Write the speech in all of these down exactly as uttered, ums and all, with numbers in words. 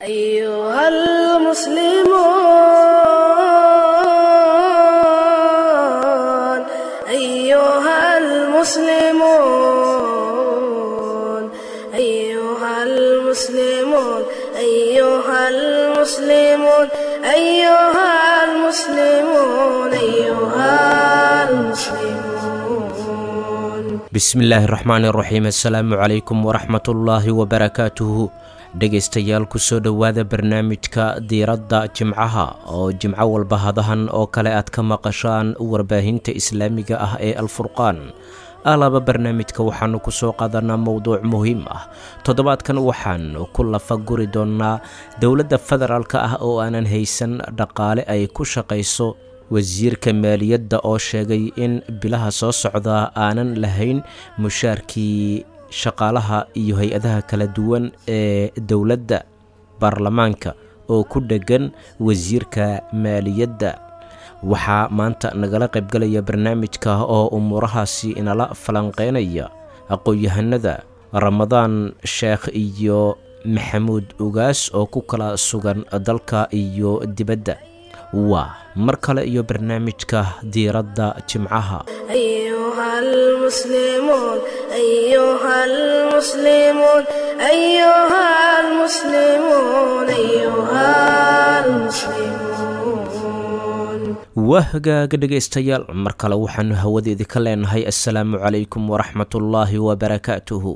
أيها المسلمون أيها المسلمون أيها المسلمون أيها المسلمون أيها المسلمون أيها المسلمون. Bismillaahi raxmaani raxiim, assalaamu calaykum waraxmatullaahi wabarakaatuhu. Dhegaystayaal, kusoo dhowaada barnaamijka diiradda jimcaha oo jimco walba hadahan oo kale aad ka maqashaan warbaahinta islaamiga ah ee Alfurqaan. Alaba barnaamijka waxaanu kusoo qaadanaa mowduuc muhiim ah. Toddobaadkan waxaanu ku lafa guri doonnaa dowladda federaalka ah oo aanan haysan dhaqaale ay ku shaqayso, wasiirka maaliyadda oo sheegay in bilaha soo socda aanan lahayn mushaarkii shaqaalaha iyo hay-adaha kala duwan ee dowladda, baarlamaanka oo ku dheggan wasiirka maaliyadda. Waxaa maanta nagala qaybgalaya barnaamijka oo umuurahaasi inala falanqeynaya aqoon-yahanada Ramadaan Sheekh iyo Maxamuud Ugaas oo ku kala sugan dalka iyo dibadda. Waa mar kale iyo barnaamijka diiradda jimcaha. أيها المسلمون أيها المسلمون أيها المسلمون أيها المسلمون. Waa hagaaga dhegaystayaal, mar kale waxaanu hawada idinka leenahay assalaamu calaykum waraxmatullaahi wabarakaatuhu.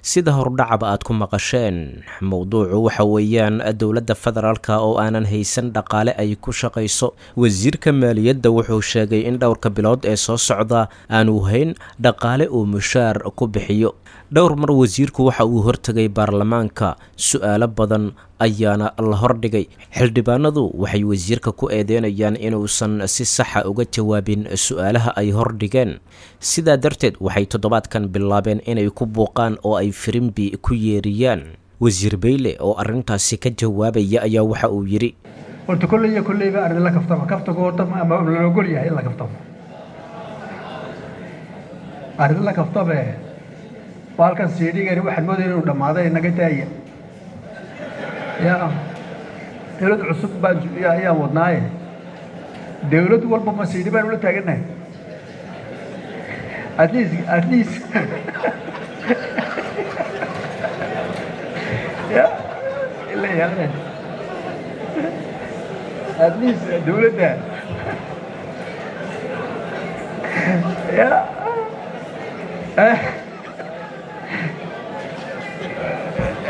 Sida hordhacaba aad ku maqasheen, mowduucu waxa weeyaan dowladda federaalka oo aanan haysan dhaqaale ay ku shaqayso. Wasiirka maaliyadda wuxuu sheegay in dhowrka bilood ee soo socda aanu hayn dhaqaale uu mushaar ku bixiyo. Dhowr mar wasiirku waxa uu hortegay baarlamaanka, su-aalo badan ayaana la hordhigay. Xildhibaanadu waxay wasiirka ku eedeynayaan inuusan si saxa uga jawaabin su-aalaha ay hordhigeen. Sidaa darteed waxay toddobaadkan bilaabeen inay ku buuqaan oo ay firimbi ku yeeriyaan. Wasiir Beyle oo arrintaasi ka jawaabaya ayaa waxa uu yidhi: Horta kolley iyo kolleyba arrin la kaftamo, kaftagu horta ama la ogol yahay in la kaftamo, arrin la kaftame. Baalkan siidhigani waxaan moodaya inuu dhammaaday, naga daaya. Ya dawlad cusub baan ayaan wadnaaye, dawlad walba ma siidhi baan ula taagannahay? At least, at least ya ila yaaqe, at least dawladda ya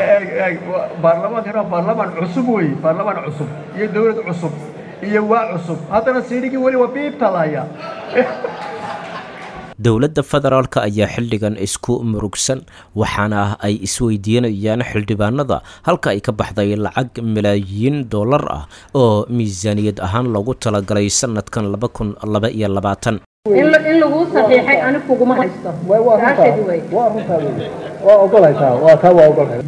eeg eeg, baarlamaankan waa baarlamaan cusub wey, baarlamaan cusub iyo dawlad cusub iyo waa cusub, haddana siidhigii weli waa biibta la hayaa. Dowladda federaalka ayaa xildhigan isku murugsan, waxaana ay isweydiinayaan xildhibaanada halka ay ka baxday lacag malaayiin dollar ah oo miisaaniyad ahaan loogu talagalay sanadkan laba kun laba iyo labaatan. In in laguu saxiixay ani kuguma haysto. Waa Saasheedi wey. Waa runtaa wey, waa ogolahay taa, waa taa, waa ogolahay.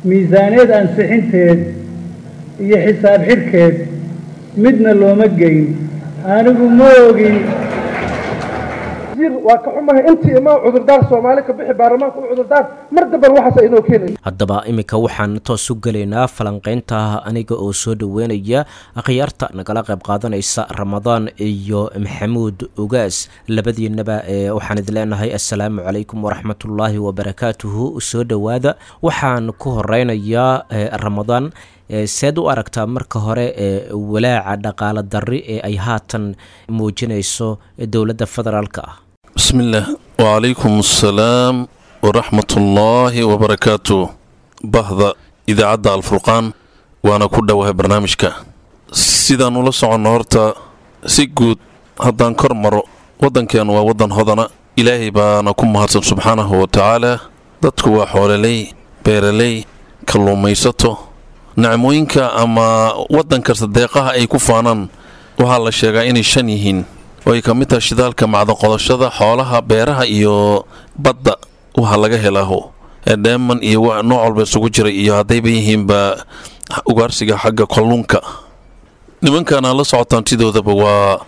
Miisaaniyad ansixinteed iyo xisaab xidhkeed midna looma geyn, anigu ma ogin. Waa ka xumahay intii imaa cudurdaar Soomaali ka bixi, baarlamaanka u cudurdaar, mar damban waxaas inoo keenay. Haddaba iminka waxaan toos u gelaynaa falanqeynta, aniga oo soo dhoweynaya akhyaarta nagala qayb qaadanaysa, Ramadaan iyo Maxamuud Ugaas. Labadiinaba ee waxaan idin leenahay assalaamu calaykum waraxmatullaahi wabarakaatuhu, soo dhowaada. Waxaan ku horeynayaa Ramadaan. Seed u aragtaa marka hore ee walaaca dhaqaale darri ee ay haatan muujinayso dowladda federaalka ah? Bismillaah, wacalaykum assalaam waraxmatullaahi wabarakaatu. Bahda idaacadda Alfurqaan, waana ku dhowahay barnaamijka. Sidaan ula soconno, horta si guud haddaan kor maro, waddankeennu waa waddan hodana, Ilaahay baana ku mahadsan subxaanahu wa tacaala. Dadku waa xoololey, beeraley, kalluumaysato. Nicmooyinka ama waddan kasta deeqaha ay ku faanaan waxaa la sheegaa inay shan yihiin, oo ay ka mid tahay shidaalka, macdanqodashada, xoolaha, beeraha iyo badda. Waxaa laga helaaho dheeman iyo nooc walba isugu jiray, iyo haddayba yihiinba ugaarsiga xagga kalluunka. Nimankan aad la socotaan sidoodaba waa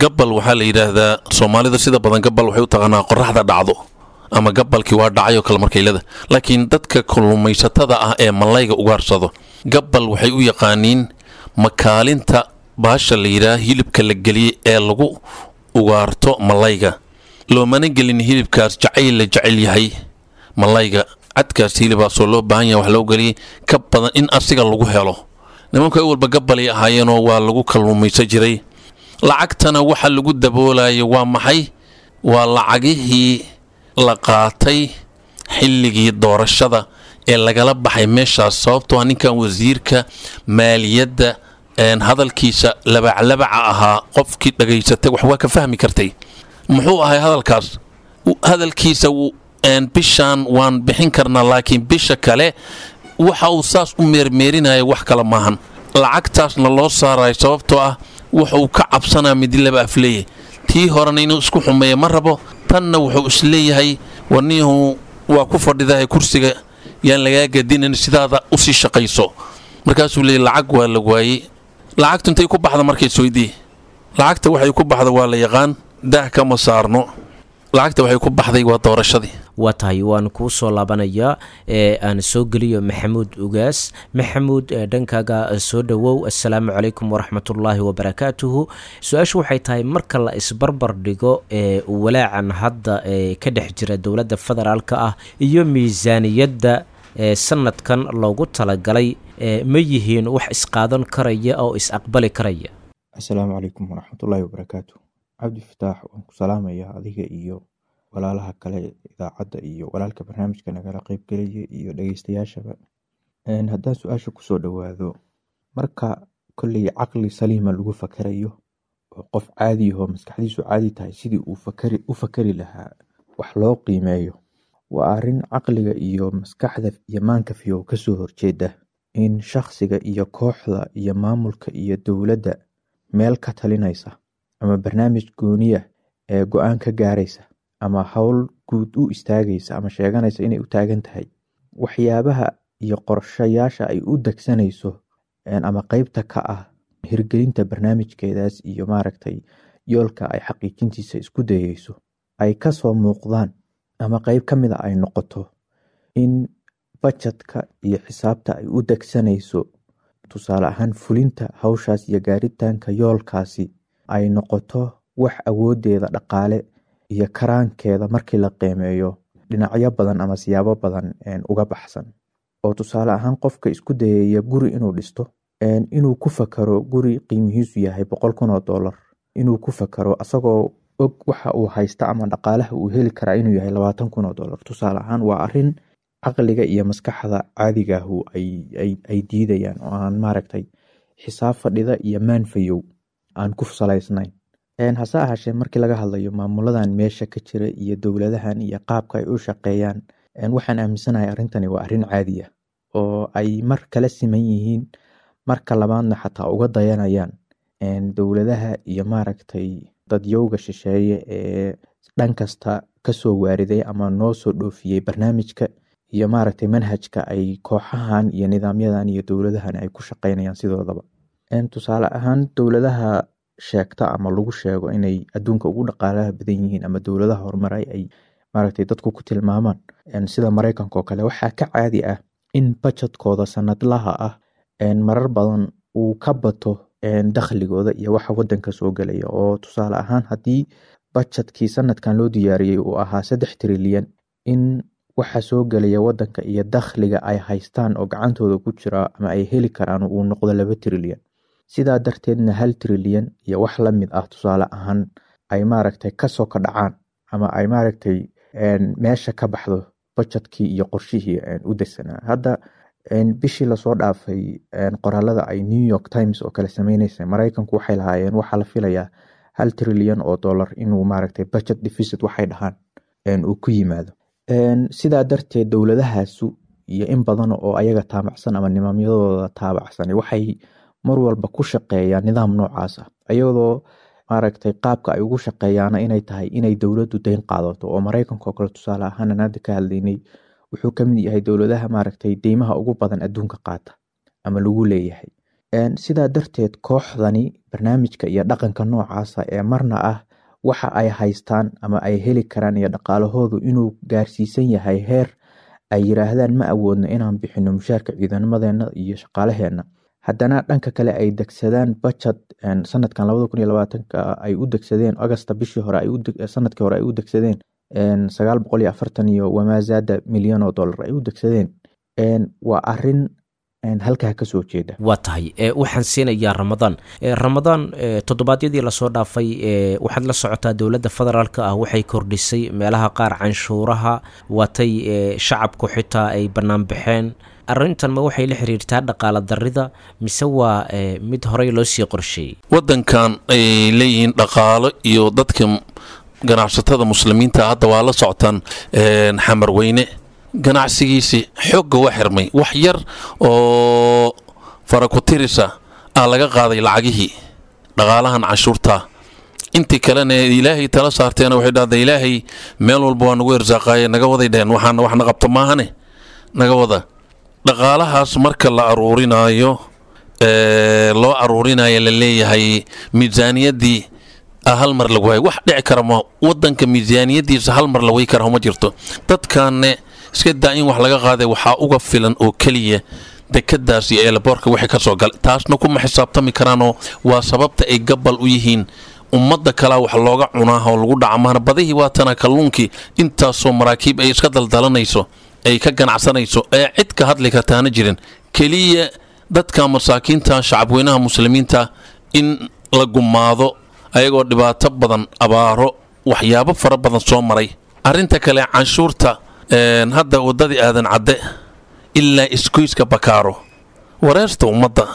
gabal. Waxaa la yidhaahdaa Soomaalida sida badan gabal waxay u taqaanaa qoraxda dhacdo ama gabalkii waa dhacay oo kale markaylada, laakiin dadka kalluumaysatada ah ee malayga ugaarsado Gabbal waxay u yaqaaniin makaalinta baasha la yidhaah hilibka la geliyey ee lagu ugaarto malayga. Loomana gelin hilibkaas jacayl la jecel yahay malayga, cadkaas hilibaasoo loo baahan yahay wax loo geliyey ka badan in asiga lagu helo. Nimanku ay walba gabbalay ahaayeenoo waa lagu kalluumaysan jiray. Lacagtana waxa lagu daboolayo waa maxay? Waa lacagihii la qaatay xilligii doorashada ee lagala baxay meeshaas, sababtoo ah ninkan wasiirka maaliyadda hadalkiisa labaclabaca ahaa qofkii dhagaysatay wax waa ka fahmi kartay. Muxuu ahay hadalkaas? Hadalkiisa bishaan waan bixin karnaa, laakiin bisha kale waxa uu saas u meermeerinaya wax kale maahan. Lacagtaasna loo saarayo sababtoo ah wuxuu ka cabsanaa midi laba afleeye. Tii horena inuu isku xumeeyo ma rabo, tanna wuxuu isleeyahay warniyahu waa ku fadhidahay kursiga, yaan lagaa gadinin, sidaada usii shaqayso. Markaasuu leeyay lacag waa la waayey. Lacagtu intay ku baxda markay isweydii, lacagta waxay ku baxda waa la yaqaan, daah kama saarno. Lacagta waxay ku baxday waa doorashadii. Waa tahay, waan kuu soo laabanayaa ee aan soo geliyo Maxamuud Ugaas. Maxamuud, dhankaaga soo dhowow. Assalaamu calaykum waraxmatullaahi wabarakaatuhu. Su-aashu waxay tahay, marka la isbarbar dhigo ee walaacan hadda ee ka dhex jira dowladda federaalka ah iyo miisaaniyadda ee sanadkan loogu talagalay, ma yihiin wax isqaadan karaya oo is aqbali karaya? Assalaamu calaykum waraxmatullaahi wabarakaatu. Cabdi Fataax, waan ku salaamayaa adiga iyo walaalaha kale idaacadda iyo walaalka barnaamijka nagala qeybgelaya iyo dhegeystayaashaba. Haddaan su-aasha kusoo dhowaado, marka kolley caqli saliima lagu fakarayo oo qof caadi ahoo maskaxdiisu caadi tahay sidii uu fakari u fakari lahaa wax loo qiimeeyo, waa arrin caqliga iyo maskaxda iyo maanka fiyow kasoo horjeeda in shakhsiga iyo kooxda iyo maamulka iyo dowladda meel ka talinaysa ama barnaamij gooniya ee go-aan ka gaaraysa ama howl guud u istaagaysa ama sheeganaysa inay u taagan tahay, waxyaabaha iyo qorshayaasha ay u degsanayso ama qeybta ka ah hirgelinta barnaamijkeedaas iyo maaragtay yoolka ay xaqiijintiisa isku dayeyso ay kasoo muuqdaan ama qeyb ka mida ay noqoto in bajetka iyo xisaabta ay u degsanayso, tusaale ahaan fulinta hawshaas iyo gaaritaanka yoolkaasi, ay noqoto wax awoodeeda dhaqaale iyo karaankeeda markii la qiimeeyo dhinacyo badan ama siyaabo badan uga baxsan. Oo tusaale ahaan qofka isku dayaya guri inuu dhisto, inuu ku fakaro guri qiimihiisu yahay boqol kun oo dollar, inuu ku fakaro asagoo og waxa uu haysta ama dhaqaalaha uu heli karaa inuu yahay labaatan kun oo dollar, tusaale ahaan, waa arrin caqliga iyo maskaxda caadigaahu ay diidayaan oo aan maaragtay xisaab fadhida iyo maanfayow aan ku salaysnayn. Hase ahaashee, markii laga hadlayo maamuladan meesha ka jira iyo dowladahan iyo qaabka ay u shaqeeyaan, waxaan aaminsanahay arrintani waa arrin caadi ah oo ay mar kala siman yihiin, marka labaadna xataa uga dayanayaan dowladaha iyo maaragtay dadyowga shisheeye ee dhan kasta kasoo waariday ama noo soo dhoofiyey barnaamijka iyo maaragtay manhajka ay kooxahan iyo nidaamyadan iyo dowladahan ay ku shaqeynayaan sidoodaba. Tusaale ahaan, dowladaha sheegta ama lagu sheego inay adduunka ugu dhaqaalaha badan yihiin ama dowladaha horumaray ay maaragtay dadku ku tilmaamaan, sida Mareykanka oo kale, waxaa ka caadi ah in bajetkooda sanadlaha ah marar badan uu ka bato dakhligooda iyo waxa wadanka soo gelaya. Oo tusaale ahaan, haddii bajetkii sanadkan loo diyaariyey uu ahaa saddex trilyan, in waxa soo gelaya wadanka iyo dakhliga ay haystaan oo gacantooda ku jira ama ay heli karaan uu noqdo laba trilyan, sidaa darteedna hal trilyan iyo wax lamid ah tusaale ahaan ay maaragtay kasoo ka dhacaan ama ay maaragtay meesha ka baxdo bajetkii iyo qorshihii u degsanaa. Hadda bishii lasoo dhaafay, qoraalada ay New York Times oo kale sameyneysa, Mareykanku waxay lahaayeen waxaa la filayaa hal trilyan oo dollar inuu maaragtay budget deficit waxay dhahaan uu ku yimaado. Sidaa darteed dowladahaasu iyo in badan oo ayaga taabacsan ama nidaamyadooda taabacsan waxay mar walba ku shaqeeyaan nidaam noocaas ah, iyadoo maaragtay qaabka ay ugu shaqeeyaana inay tahay inay dowladdu deyn qaadato. Oo Mareykanka oo kale tusaale ahaan aan hadda ka hadlaynay, wuxuu ka mid yahay dowladaha maaragtay deymaha ugu badan adduunka qaata ama lagu leeyahay. Sidaa darteed kooxdani barnaamijka iyo dhaqanka noocaasa ee marna ah waxa ay haystaan ama ay heli karaan iyo dhaqaalahoodu inuu gaarsiisan yahay heer ay yiraahdaan ma awoodno inaan bixino mushaarka ciidamadeena iyo shaqaalaheena, haddana dhanka kale ay degsadaan bajad sanadkan labada kun iyo labaatanka ay u degsadeen Agosta bishii hore ay sanadkii hore ay u degsadeen sagaal boqol iyo afartan iyo wamaazaada milyan oo dollar ay u degsadeen, waa arin halkaa kasoo jeeda. Waa tahay, waxaan siinayaa Ramadaan. Ramadaan, toddobaadyadii lasoo dhaafay waxaad la socotaa dowladda federaalka ah waxay kordhisay meelaha qaar canshuuraha, waatay shacabku xitaa ay bannaan baxeen. Arrintan ma waxay la xiriirtaa dhaqaala darida mise waa mid horey loo sii qorsheeyey? Wadankan ay leeyihiin dhaqaalo iyo dadka ganacsatada muslimiinta hadda waa la socotaan Xamarweyne ganacsigiisii xoogga waa xirmay, wax yar oo farakutirisa aa laga qaaday lacagihii dhaqaalahan canshuurta, intii kalena ilaahay tala saarteena waxay dhahday ilaahay meel walba waa nagu irsaaqaaye naga waday dheheen, waxaana wax na qabto maahane naga wada. Dhaqaalahaas marka la aruurinaayo loo aruurinayo la leeyahay miisaaniyaddii hal mar lagu waayo, wax dhici kara ma wadanka miisaaniyaddiisa hal mar la way kara ma jirto. Dadkaanne iska daa in wax laga qaaday, waxaa uga filan oo keliya dekadaas iyo eelaboorka wixii ka soo galay, taasna kuma xisaabtami karaanoo waa sababta ay gabal u yihiin ummadda kalaa wax looga cunaa oo lagu dhaca maana. Badihii waatana kalluunkii intaasoo maraakiib ay iska daldalanayso ay ka ganacsanayso ee cid ka hadli kartaana jirin, keliya dadka masaakiinta shacabweynaha muslimiinta in la gumaado ayagoo dhibaato badan abaaro waxyaabo fara badan soo maray. Arrinta kale canshuurta hadda waddadii Aadan Cadde ilaa isgoyska Bakaaro wareerta ummadda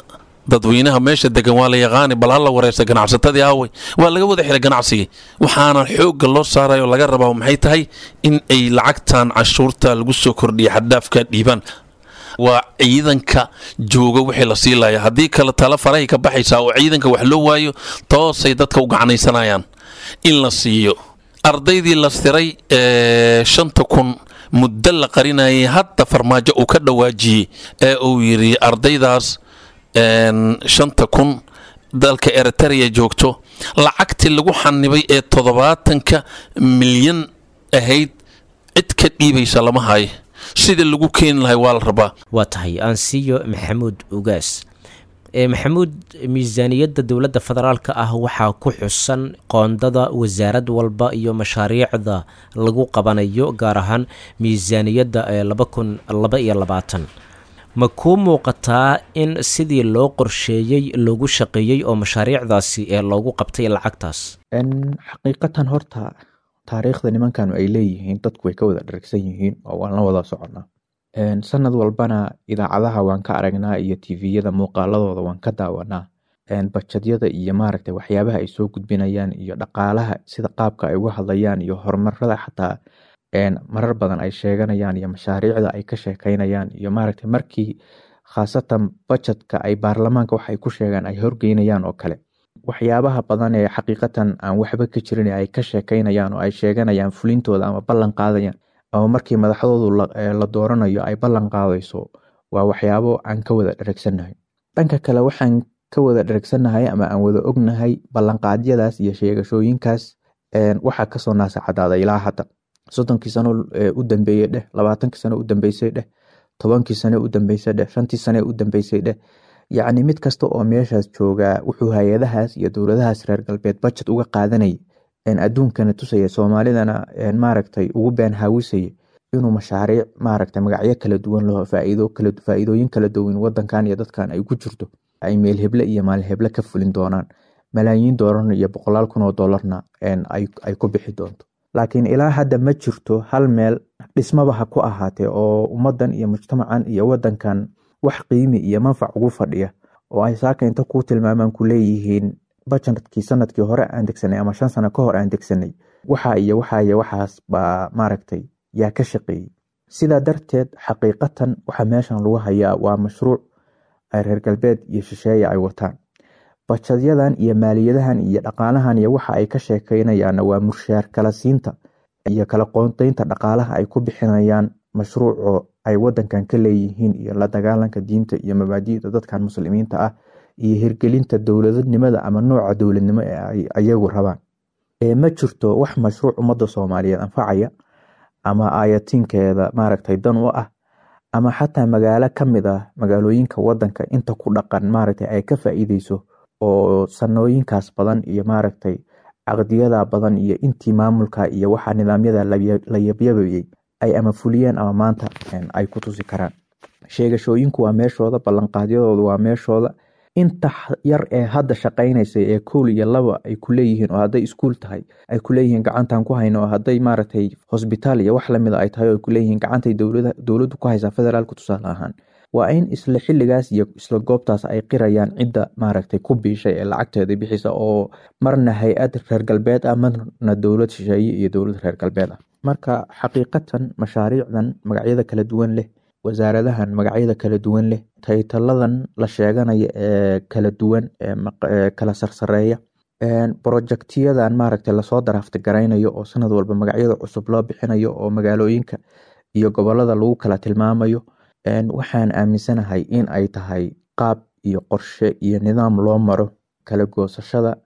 dadweynaha meesha degan waa la yaqaani, bal hala wareerta ganacsatadii aawey, waa laga wada xiray ganacsigii. Waxaana xoogga loo saarayo laga rabaa maxay tahay in ay lacagtan canshuurta lagu soo kordhiya xaddaafka dhiibaan, waa ciidanka jooga wixii la sii laaya, haddii kale tala farahay ka baxaysaa oo ciidanka wax loo waayo toosay dadka u gacanaysanayaan in la siiyo. Ardaydii la siray shanta kun muddo la qarinayay hadda Farmaajo uu ka dhawaajiyey ee uu yidhi ardaydaas shanta kun dalka Eritrea joogto lacagtii lagu xanibay ee toddobaatanka milyan ahayd cid ka dhiibaysa lama hayo, sidii lagu keeni lahay waa la rabaa. Waa tahay, aan siiyo Maxamuud Ugaas. Maxamuud, miisaaniyadda dowladda federaalka ah waxaa ku xusan qoondada wasaarad walba iyo mashaariicda lagu qabanayo, gaar ahaan miisaaniyadda ee laba kun laba iyo labaatan. Ma kuu muuqataa in sidii loo qorsheeyey loogu shaqeeyey oo mashaariicdaasi ee loogu qabtay lacagtaas? Xaqiiqatan horta taariikhda nimankanu ay leeyihiin dadku way ka wada dharagsan yihiin oo waan la wada soconaa. Sanad walbana idaacadaha waan ka aragnaa iyo tviyada muuqaaladooda waan ka daawanaa, bajadyada iyo maaragtay waxyaabaha ay soo gudbinayaan iyo dhaqaalaha sida qaabka ay uga hadlayaan iyo horumarada xataa marar badan ay sheeganayaan iyo mashaariicda ay ka sheekeynayaan iyo maaragtay markii khaasatan bajadka ay baarlamaanka waxay ku sheegaan ay horgeynayaan oo kale, waxyaabaha badan ee xaqiiqatan aan waxba ka jirin ay ka sheekeynayaan oo ay sheeganayaan fulintooda ama ballan qaadayaan ama markii madaxdoodu la dooranayo ay ballan qaadayso, waa waxyaabo aan ka wada dheragsannahay. Dhanka kale waxaan ka wada dheragsannahay ama aan wada ognahay ballanqaadyadaas iyo sheegashooyinkaas waxaa kasoo naasacadaaday ilaa hadda soddonkii sano u dambeeyey dheh, labaatankii sano u dambeysay dheh, tobankii sano u dambeysay dheh, shantii sano u dambeysay dheh. Yacni mid kasta oo meeshaas joogaa wuxuu hay-adahaas iyo dowladahaas reer galbeed budget uga qaadanayay, adduunkana tusaya, soomaalidana maaragtay ugu been haawisaya inuu mashaariic maaragtay magacyo kala duwan loo faa'iido kala faa'iidooyin kala duwan wadankan iyo dadkan ay ku jirto ay meel heble iyo maalin heble ka fulin doonaan, malaayiin doolarna iyo boqolaal kun oo doolarna ay ay ku bixi doonto. Laakiin ilaa hadda ma jirto hal meel dhismaba ha ku ahaatee oo ummadan iyo mujtamacan iyo wadankan wax qiimi iyo manfac ugu fadhiya oo ay saaka inta ku tilmaamaan ku leeyihiin bajetkii sanadkii hore aan degsanay ama shan sano ka hor aan degsanay waxa iyo waxa iyo waxaas baa maaragtay yaa ka shaqeeyey. Sidaa darteed xaqiiqatan waxa meeshan lagu hayaa waa mashruuc ay reer galbeed iyo shisheeye ay wataan. Bajadyadan iyo maaliyadahan iyo dhaqaalahan iyo waxa ay ka sheekeynayaanna waa mushaar kala siinta iyo kala qoondeynta dhaqaalaha ay ku bixinayaan mashruuco ay wadankan ka leeyihiin iyo la dagaalanka diinta iyo mabaadi'da dadkan muslimiinta ah iyo hirgelinta dowladnimada ama nooca dowladnimo ee ay ayagu rabaan. Ma jirto wax mashruuc ummadda Soomaaliyeed anfacaya ama aayatiinkeeda maaragtay dan u ah, ama xataa magaalo ka mid ah magaalooyinka wadanka inta ku dhaqan maaragtay ay ka faa'iideyso oo sanooyinkaas badan iyo maaragtay caqdiyada badan iyo intii maamulka iyo waxa nidaamyada la yabyabayay ay ama fuliyeen ama maanta ay ku tusi karaan. Sheegashooyinku waa meeshooda, ballanqaadyadoodu waa meeshooda. Inta yar ee hadda shaqaynaysa ee kool iyo laba ay ku leeyihiin, oo hadday iskuul tahay ay ku leeyihiin gacantaan ku hayno, oo hadday maaragtay hosbitaal iyo wax lamida ay tahay oo ay ku leeyihiin gacantay dowlada dowladdu ku haysaa federaalku tusaale ahaan, waa in isla xilligaas iyo isla goobtaas ay qirayaan cidda maaragtay ku biishay ee lacagteeda bixisa, oo marna hay-ad reer galbeed ah, marna dowlad shisheeye iyo dowlad reer galbeed ah. Marka xaqiiqatan mashaariicdan magacyada kala duwan leh, wasaaradahan magacyada kala duwan leh, taytaladan la sheeganaya ee kala duwan ee kala sarsareeya, projectiyadan maaragtay lasoo daraafta garaynayo oo sanad walba magacyada cusub loo bixinayo oo magaalooyinka iyo gobolada lagu kala tilmaamayo, waxaan aaminsanahay in ay tahay qaab iyo qorshe iyo nidaam loo maro kala goosashada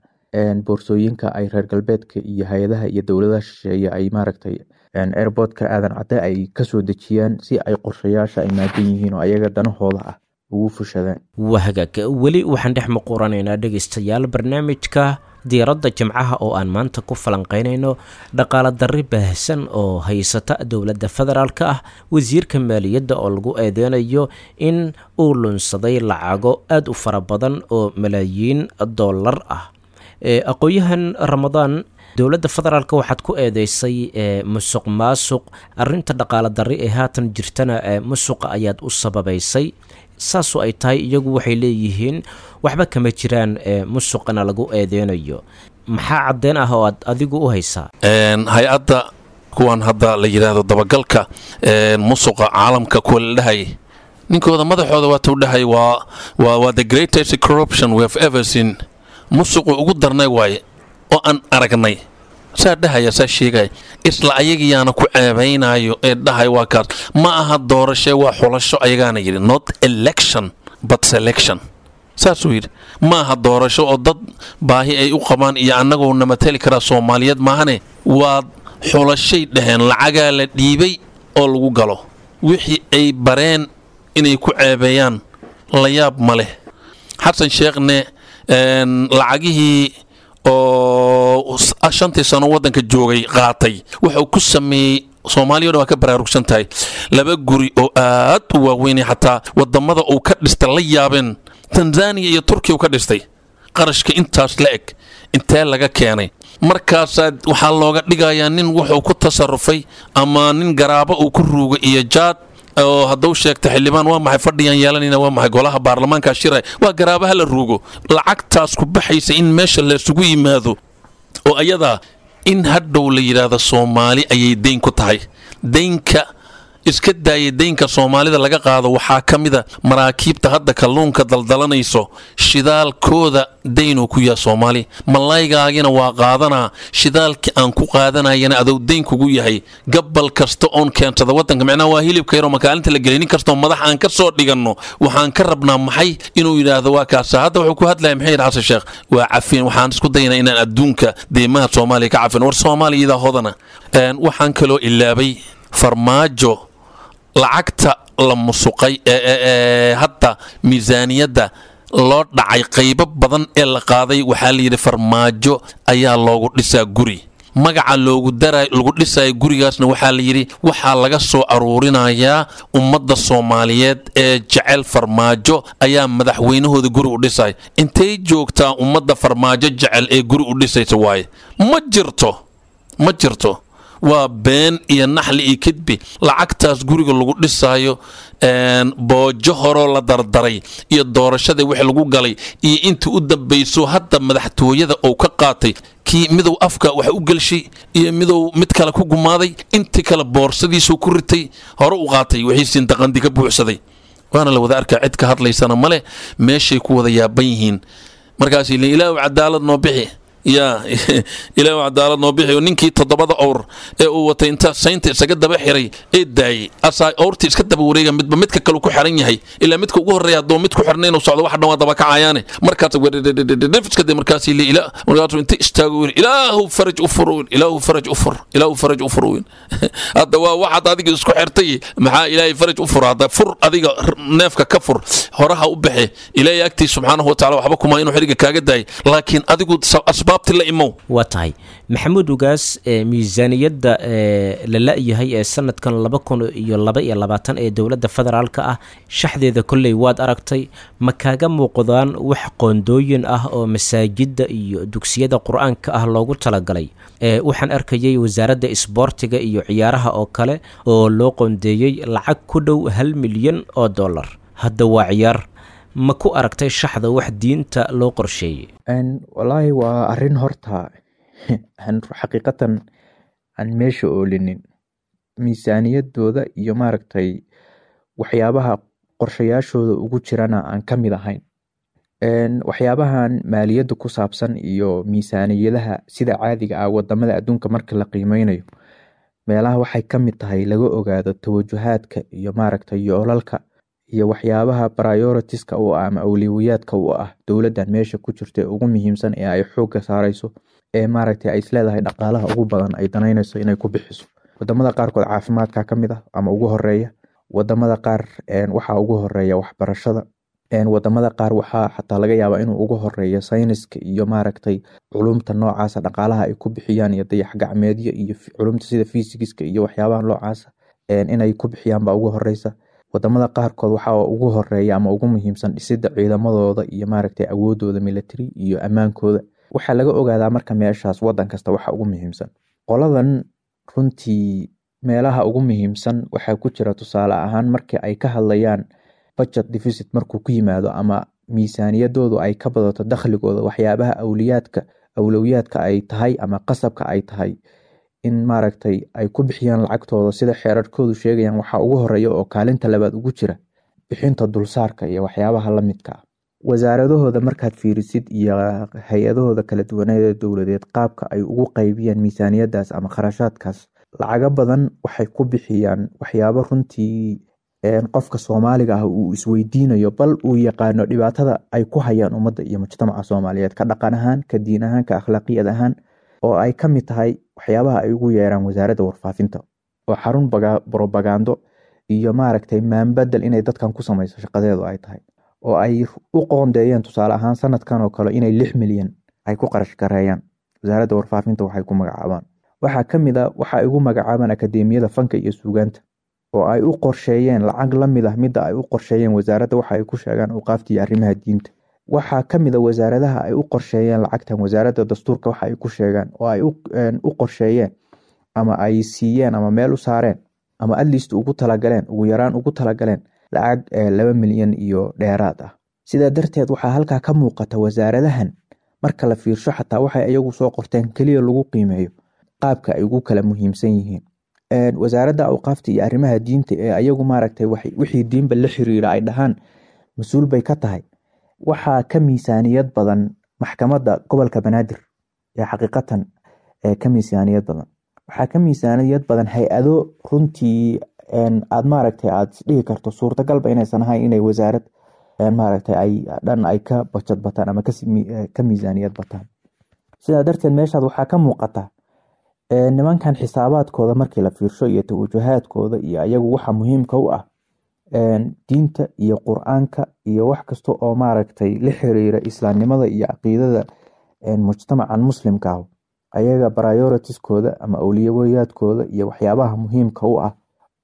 boorsooyinka ay reer galbeedka iyo hay-adaha iyo dowladaha shisheeye ay maaragtay airportka Aadan Cadde ay kasoo dejiyaan si ay qorshayaasha ay maadan yihiin oo ayaga danahooda ah ugu fushadaan. Waa hagaag, weli waxaan dhex muquranaynaa dhegaystayaal barnaamijka diiradda jimcaha oo aan maanta ku falanqaynayno dhaqaale darri baahsan oo haysata dowladda federaalka ah, wasiirka maaliyadda oo lagu eedeynayo in uu lunsaday lacago aada u fara badan oo malaayiin dollar ah. Aqoon-yahan Ramadaan, dowladda federaalk waxaad ku eedeysay musuq maasuq, arrinta dhaqaale darri ee haatan jirtana musuqa ayaad u sababaysay. Saasoo ay tahay iyagu waxay leeyihiin waxba kama jiraan musuqana lagu eedeynayo. Maxaa caddeen ah oo aad adigu u haysaa? Hay-adda kuwan hadda la yidhaahdo dabagalka musuqa caalamka kuwa la dhahay, ninkooda madaxooda waatuu dhahay waa waa the greatest corruption we have ever seen, musuqu ugu darnay waaye oo aan aragnay, saa dhahaya, saa sheegaya. Isla ayagiyaana ku ceebaynayo ee dhahay waa kaas. Ma aha doorashe, waa xulasho ayagaana yidhi, not election but selection, saasuu yidhi. Ma aha doorasho oo dad baahi ay u qabaan iyo annagoo na mateli karaa Soomaaliyeed maahane, waa xulashay dhaheen. Lacagaa la dhiibay oo lagu galo wixii ay bareen inay ku ceebeeyaan, la yaab ma leh. Xasan Sheekhne lacagihii oo shantii sano waddanka joogay qaatay wuxuu ku sameeyey, Soomaaliya o dhan waa ka baraarugsan tahay, laba guri oo aad u waaweynay xataa wadamada uu ka dhistay la yaabeen, Tanzaniya iyo Turkiya uu ka dhistay. Qarashka intaas la eg intee laga keenay? Markaasaa waxaa looga dhigayaa nin wuxuu ku tasarufay ama nin garaabo uu ku ruugay iyo jaad, oo hadduu sheegta xildhibaan waa maxay fadhiyaan yeelanayna, waa maxay golaha baarlamaanka shiray, waa garaabaha la ruugo. Lacagtaas ku baxaysa in meesha laysugu yimaado oo ayadaa in hadhow la yidhaahdo Soomaali ayay deyn ku tahay. Deynka iska daaya, deynka Soomaalida laga qaado waxaa ka mida maraakiibta hadda kalluunka daldalanayso, shidaalkooda deynuu ku yaha Soomaali. Malaygaagina waa qaadanaa, shidaalkii aan ku qaadanayana adow deyn kugu yahay. Gabal kasta oon keensada waddanka, micnaha waa hilibka yaroo makaalinta la gelay, nin kastoo madax aan ka soo dhiganno waxaan ka rabnaa maxay? Inuu yidhaahdo waa kaasa. Hadda wuxuu ku hadlaya maxay yidhi Xasan Sheekh? Waa cafin, waxaan isku daynaa inaan adduunka deymaha Soomaaliya ka cafin. War Soomaaliya hodana. Waxaan kaloo ilaabay Farmaajo lacagta la musuqay ee hadda miisaaniyadda loo dhacay qaybo badan ee la qaaday, waxaa la yidhi Farmaajo ayaa loogu dhisaa guri. Magaca loogu dara lagu dhisayo gurigaasna waxaa la yidhi waxaa laga soo aruurinayaa ummadda Soomaaliyeed ee jecel Farmaajo ayaa madaxweynahooda guri u dhisay. Intay joogtaa ummadda Farmaajo jecel ee guri u dhisaysa? Waaye ma jirto, ma jirto, waa been iyo naxli iyo kidbi. Lacagtaas guriga lagu dhisaayo boojo horoo la dardaray iyo doorashadii wixii lagu galay iyo intii u dambayso hadda madaxtooyada uu ka qaatay, kii midow afka wax u gelshay iyo midow mid kale ku gumaaday, intii kale boorsadiisuu ku ritay, hore u qaatay wixiisiin daqandi ka buuxsaday. Waana la wada arkaa, cid ka hadlaysana male, meeshay ku wada yaaban yihiin. Markaas ilaahu cadaalad noo bixi. Yaa Ilaahu cadaalad noo bixiyo. Ninkii toddobada owr ee uu watay intaa saynta isaga daba xiray ee daayey, asaa owrtii iska daba wareega, midba midka kale ku xiran yahay, ilaa midka ugu horreeya hadduu mid ku xirnay inuu socdo, wax dhan waa daba kacayaane. Markaas iska day, markaas ila markaasuu inta istaago yiri, Ilaahu faraj u fur, Ilaahu faraj u fur, Ilaahu faraj u fur. Hadda waa waxaad adiga isku xirtay, maxaa Ilaahay faraj u fur? Hadda fur adiga neefka ka fur, horaha u baxe. Ilaahay agtiis subxaanahu watacaala waxba kuma inuu xiriga kaaga daayay, laakiin adigu asbaabti la imow. Waa tahay, Maxamuud Ugaas. Miisaaniyadda la la-yahay ee sanadkan laba kun iyo laba iyo labaatan ee dowladda federaalka ah, shaxdeeda kolley waad aragtay. Ma kaaga muuqdaan wax qoondooyin ah oo masaajidda iyo dugsiyada qur-aanka ah loogu talagalay? Waxaan arkayay wasaaradda isboortiga iyo ciyaaraha oo kale oo loo qoondeeyey lacag ku dhow hal milyan oo dollar. Hadda waa ciyaar. Ma ku aragtay shaxda wax diinta loo qorsheeyey? Walaahi waa arrin horta aan xaqiiqatan aan meesha oolinin, miisaaniyadooda iyo maaragtay waxyaabaha qorshayaashooda ugu jirana aan ka mid ahayn. Waxyaabahan maaliyadda ku saabsan iyo miisaaniyadaha sida caadiga ah wadamada adduunka marka la qiimeynayo, meelaha waxay ka mid tahay laga ogaado tawajuhaadka iyo maaragtay yoolalka iyo waxyaabaha prioritiska u ah ama awliwiyaadka u ah dowladdan meesha ku jirta ee ugu muhiimsan ee ay xoogga saareyso, ee maaragtay ay isleedahay dhaqaalaha ugu badan ay danaynayso inay ku bixiso. Wadamada qaarkood caafimaadka ka mid ah ama ugu horeeya, wadamada qaar waxaa ugu horeeya waxbarashada, wadamada qaar waxaa xataa laga yaabaa inuu ugu horeeyo sayniska iyo maaragtay culumta noocaasa dhaqaalaha ay ku bixiyaan, iyo dayax gacmeedyo iyo culumta sida fiisigiska iyo waxyaabaha noocaasa inay ku bixiyaan baa ugu horeysa. Wadamada qaarkood waxaa ugu horeeya ama ugu muhiimsan dhisida ciidamadooda iyo maaragtay awoodooda military iyo ammaankooda. Waxaa laga ogaadaa marka meeshaas wadan kasta waxa ugu muhiimsan. Qoladan runtii meelaha ugu muhiimsan waxaa ku jira, tusaale ahaan, markii ay ka hadlayaan budget deficit markuu ku yimaado ama miisaaniyadoodu ay ka badato dakhligooda, waxyaabaha awliyaadka awlowiyaadka ay tahay ama qasabka ay tahay in maaragtay ay ku bixiyaan lacagtooda sida xeerarkoodu sheegayaan, waxaa ugu horeeya oo kaalinta labaad ugu jira bixinta dulsaarka iyo waxyaabaha la midka ah. Wasaaradahooda markaad fiirisid iyo hay-adahooda kala duwaneed ee dowladeed, qaabka ay ugu qaybiyaan miisaaniyadaas ama kharashaadkaas, lacago badan waxay ku bixiyaan waxyaabo runtii qofka Soomaaliga ah uu isweydiinayo, bal uu yaqaano dhibaatada ay ku hayaan ummadda iyo mujtamaca Soomaaliyeed, ka dhaqan ahaan, ka diin ahaan, ka akhlaaqiyad ahaan, oo ay ka mid tahay waxyaabaha ay ugu yeeraan wasaaradda warfaafinta oo xarun brobagando iyo maaragtay maanbadel inay dadkan ku samayso shaqadeedu ay tahay, oo ay u qoondeeyeen tusaale ahaan sanadkan oo kale inay lix milyan ay ku qarash gareeyaan wasaaradda warfaafinta waxay ku magacaabaan. Waxaa ka mid a waxa ay ugu magacaabaan akadeemiyada fanka iyo suugaanta oo ay u qorsheeyeen lacag la mid ah midda ay u qorsheeyeen wasaaradda waxa ay ku sheegaan awqaafta iyo arrimaha diinta. Waxaa ka mid a wasaaradaha ay u qorsheeyeen lacagtan wasaaradda dastuurka waxa ay ku sheegaan oo ay u qorsheeyeen ama ay siiyeen ama meel u saareen ama atleast ugu talagaleen, ugu yaraan ugu talagaleen lacag laba milyan iyo dheeraad ah. Sidaa darteed waxaa halkaa ka muuqata wasaaradahan marka la fiirsho xataa waxay iyagu soo qorteen keliya lagu qiimeeyo qaabka ay ugu kala muhiimsan yihiin. Wasaaradda awqaafta iyo arrimaha diinta ee ayagu maaragtay wixii diinba la xiriira ay dhahaan mas-uul bay ka tahay, waxaa ka miisaaniyad badan maxkamadda gobolka Banaadir ee xaqiiqatan ka miisaaniyad badan. Waxaa ka miisaaniyad badan hay-ado runtii aad maaragtay aad isdhihi karto suurtagalba inaysan ahayn inay wasaarad maaragtay ay dhan ay ka bajad bataan ama ka miisaaniyad bataan. Sidaa darteed meeshaad waxaa ka muuqata nimankan xisaabaadkooda markii la fiirsho iyo tawajjuhaadkooda iyo ayagu waxa muhiimka u ah diinta iyo qur-aanka iyo wax kasta oo maaragtay la xiriira islaamnimada iyo caqiidada mujtamacan muslimka ah, ayaga prioritieskooda ama awliyawayaadkooda iyo waxyaabaha muhiimka u ah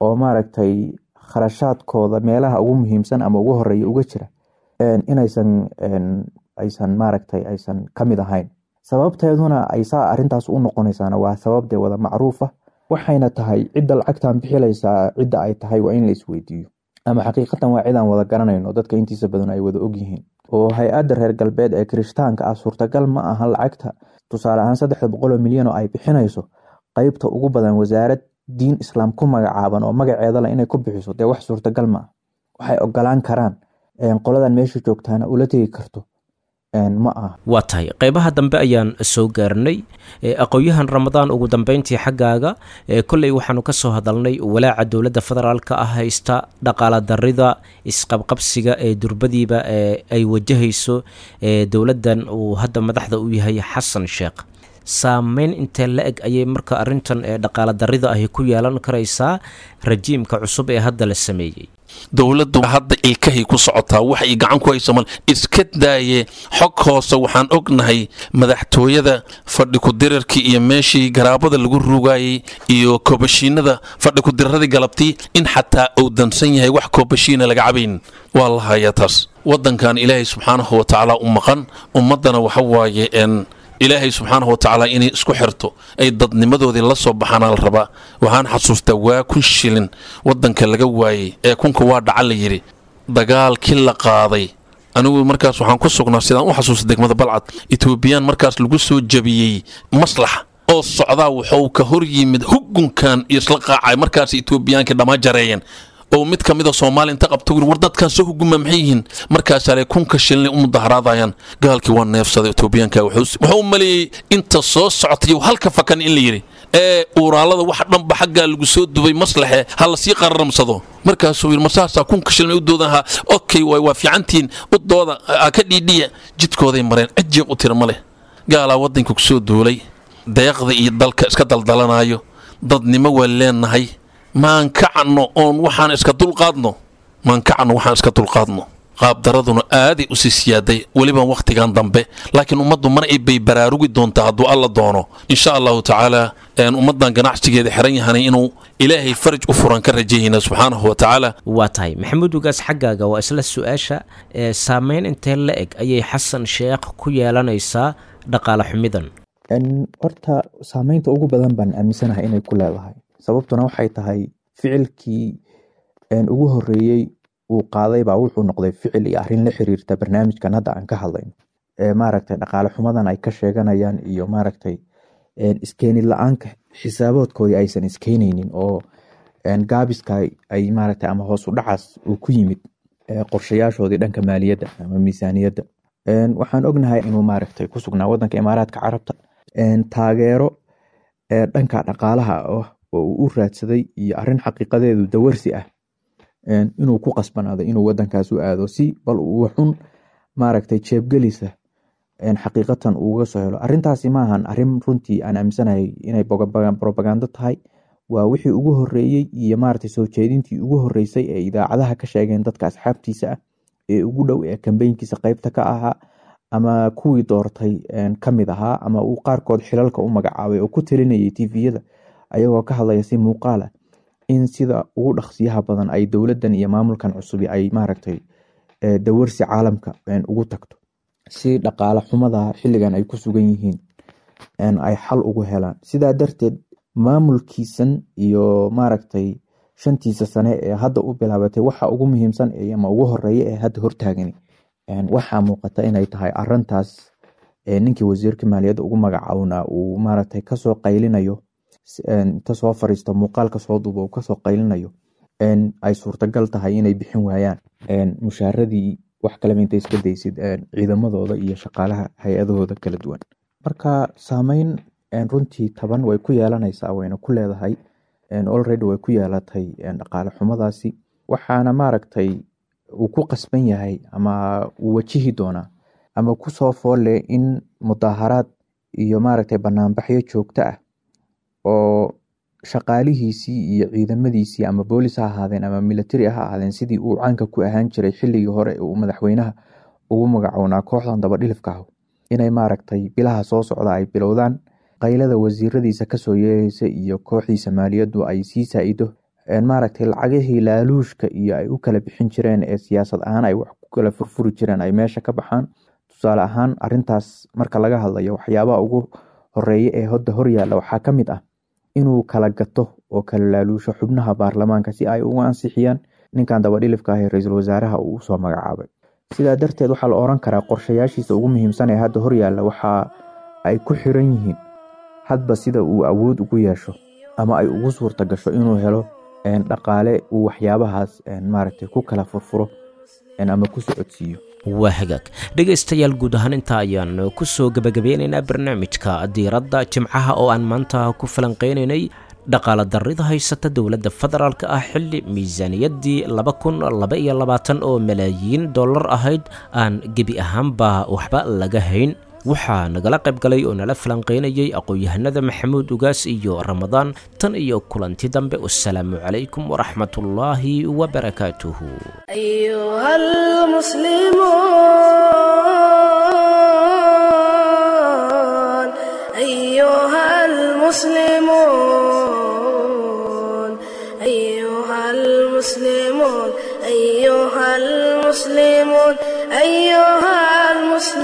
oo maaragtay kharashaadkooda meelaha ugu muhiimsan ama ugu horeeya uga jira inaysan aysan maaragtay aysan ka mid ahayn. Sababteeduna ay saa arrintaas u noqonaysaana waa sabab dee wada macruuf ah, waxayna tahay cidda lacagtan bixilaysaa cidda ay tahay waa in la isweydiiyo, ama xaqiiqatan waa cidaan wada garanayno, dadka intiisa badan ay wada ogyihiin. Oo hay-adda reer galbeed ee kirishtaanka ah suurtagal ma aha lacagta tusaale ahaan saddexda boqol oo milyan oo ay bixinayso qeybta ugu badan wasaarad diin islaam ku magacaaban oo magaceeda leh inay ku bixiso, dee wax suurtagal ma ah. Waxay ogolaan karaan qoladan meesha joogtaana ula tegi karto Ma aha. Waa tahay, qeybaha dambe ayaan soo gaarnay. Aqoon-yahan Ramadaan, ugu dambeyntii xaggaaga, kolley waxaanu ka soo hadalnay walaaca dowladda federaalka ah haysta, dhaqaala darida, isqabqabsiga ee durbadiiba ay wajahayso dowladdan uu hadda madaxda u yahay Xasan Sheekh. Saameyn intee la eg ayay marka arrintan ee dhaqaala darida ahi ku yeelan karaysaa rajiimka cusub ee hadda la sameeyey? Dowladdu hadda ilkahay ku socotaa, wax ay gacan ku hayso mal iska daaye. Xog hoose waxaan ognahay madaxtooyada fadhi ku-dirarkii iyo meeshii garaabada lagu rugaayey iyo koobashiinada fadhi ku-diraradii galabtii in xataa uu dansan yahay, wax koobashiina laga cabayn waa la hayaa. Taas waddankan Ilaahay subxaanahu wa tacaala u maqan, ummaddana waxa waaye n Ilaahay subxaanahu wa tacaala inay isku xirto, ay dadnimadoodii la soo baxaana la rabaa. Waxaan xasuustaa waa kun shilin waddanka laga waayey ee kunka waa dhaca la yidhi, dagaalkii la qaaday. Anigu markaas waxaan ku sugnaa, sidaan u xasuusta, degmada Balcad. Etoobiyaan markaas lagu soo jabiyey maslaxa oo socdaa wuxuu ka hor yimid hugunkan iyo isla qaacay. Markaas Etoobiyaankii dhammaa jareeyeen oo mid ka mida Soomaaliya inta qabto war dadkan soo huguma maxay yihiin? Markaasaa le kunka shilin u mudaharaadayaan. Gaalkii waa neefsaday Etoobiyaanka, wuxuu u maleeyey inta soo socotay halka fakan in la yidhi ee uuraalada wax dhanba xaggaa lagu soo dubay maslaxe ha la sii qararamsado. Markaasuu yidhi, masaasaa kunka shilin u doodan? Ha, okay, waay, waa fiicantihiin, u dooda ha ka dhiidhiya. Jidkooday mareen, cid jiiq u tira ma leh. Gaalaa waddanka ku soo duulay, deeqda iyo dalka iska daldalanaayo. Dadnimo waa leenahay, maan kacno oon waxaan iska dulqaadno, maan kacno waxaan iska dulqaadno. Qaabdaraduna aaday u sii siyaaday weliba wakhtigan dambe, laakiin ummaddu mar ay bay baraarugi doontaa hadduu Alla doono, insha Allahu tacaala. Ummaddan ganacsigeeda xiran yahanay inuu Ilaahay faraj u furan ka rajayayna subxaanahu wa tacaala. Waa tahay, Maxamuud Ugaas, xaggaaga waa isla su-aasha. Ee saameyn intee la eg ayay Xasan Sheekh ku yeelanaysaa dhaqaale xumidan? Horta saameynta ugu badan baan aaminsanahay inay ku leedahay. Sababtuna waxay tahay ficilkii ugu horeeyey uu qaaday baa wuxuu noqday ficil iyo arrin la xiriirta barnaamijkan hadda aan ka hadlayno, maaragtay, dhaqaale xumadan ay ka sheeganayaan iyo maaragtay iskeenid la-aanka xisaaboodkoodii aysan iskeenaynin oo gaabiska ay maaragtay ama hoos u dhacaas uu ku yimid qorshayaashoodii dhanka maaliyadda ama miisaaniyadda. Waxaan ognahay inuu maaragtay ku sugnaa wadanka Imaaraadka Carabta, taageero dhanka dhaqaalaha ah oo uu u raadsaday iyo arrin xaqiiqadeedu dawarsi ah inuu ku qasbanaaday inuu wadankaas u aado si bal uu xun maaragtay jeebgelisa xaqiiqatan uga soo helo. Arrintaasi maahan arrin runtii aan aaminsanahay inay propagando tahay. Waa wixii ugu horeeyey iyo maaragtay soo jeedintii ugu horeysay ee idaacadaha ka sheegeen dadka asxaabtiisa ah ee ugu dhow ee kambeynkiisa qeybta ka ahaa ama kuwii doortay ka mid ahaa ama uu qaarkood xilalka u magacaabay oo ku talinayay T V-yada ayagoo ka hadlaya si muuqaal ah in sida ugu dhaqsiyaha badan ay dowladdan iyo maamulkan cusubi ay maaragtay dawarsi caalamka ugu tagto si dhaqaale xumada xilligan ay ku sugan yihiin ay xal ugu helaan. Sidaa darteed maamulkiisan iyo maaragtay shantiisa sane ee hadda u bilaabatay, waxa ugu muhiimsan ama ugu horeeya ee hadda hortaagani waxaa muuqata inay tahay arintaas ninkii wasiirka maaliyadda ugu magacawnaa uu maaragtay kasoo qaylinayo, inta soo fariisto muuqaalka soo duuba uu kasoo qaylinayo ay suurtagal tahay inay bixin waayaan mushaaradii, wax kaleba inta iska daysid, ciidamadooda iyo shaqaalaha hay-adahooda kala duwan. Marka saameyn runtii taban way ku yeelanaysaa, wayna ku leedahay, already way ku yeelatay dhaqaale xumadaasi. Waxaana maaragtay uu ku qasban yahay ama uu wajihi doonaa ama kusoo foolle in mudaaharaad iyo maaragtay banaanbaxyo joogto ah oo shaqaalihiisii iyo ciidamadiisii, ama boolis ha ahaadeen ama military ha ahaadeen, sidii uu caanka ku ahaan jiray xilligii hore uu madaxweynaha ugu magacownaa kooxdan dabadhilifka ah, inay maaragtay bilaha soo socda ay bilowdaan qaylada wasiiradiisa kasoo yeeraysa iyo kooxdiisa maaliyaddu ay sii saa-ido, maaragtay lacagihii laaluushka iyo ay u kala bixin jireen ee siyaasad ahaan ay wax ku kala furfuri jireen ay meesha ka baxaan. Tusaale ahaan, arintaas marka laga hadlayo, waxyaabaha ugu horeeya ee hodda horyaalla waxaa ka mid ah inuu kala gato oo kala laaluusho xubnaha baarlamaanka si ay ugu ansixiyaan ninkan dabadhilifka ah ee ra-iisul wasaaraha uu usoo magacaabay. Sidaa darteed waxaa la oran karaa qorshayaashiisa ugu muhiimsan ee hadda horyaalla waxa ay ku xiran yihiin hadba sida uu awood ugu yeesho ama ay ugu suurta gasho inuu helo dhaqaale uu waxyaabahaas maaragtay ku kala furfuro ama ku socodsiiyo. Waa hagaag, dhegaystayaal, guud ahaan intaa ayaan ku soo gebagabeynaynaa barnaamijka diiradda Jimcaha oo aan maanta ku falanqeynaynay dhaqaala darrida haysata dowladda federaalka ah, xilli miisaaniyaddii laba kun laba iyo labaatan oo malaayiin dollar ahayd aan gebi ahaanba waxba laga hayn. Waxaa nagala qayb galay oo nala falanqeynayay aqoon-yahanada Maxamuud Ugaas iyo Ramadaan. Tan iyo kulanti dambe, wasalaamu calaykum waraxmatullaahi wabarakaatuhu. أيها المسلمون أيها المسلمون أيها المسلمون أيها المسلمون أيها المسلمون.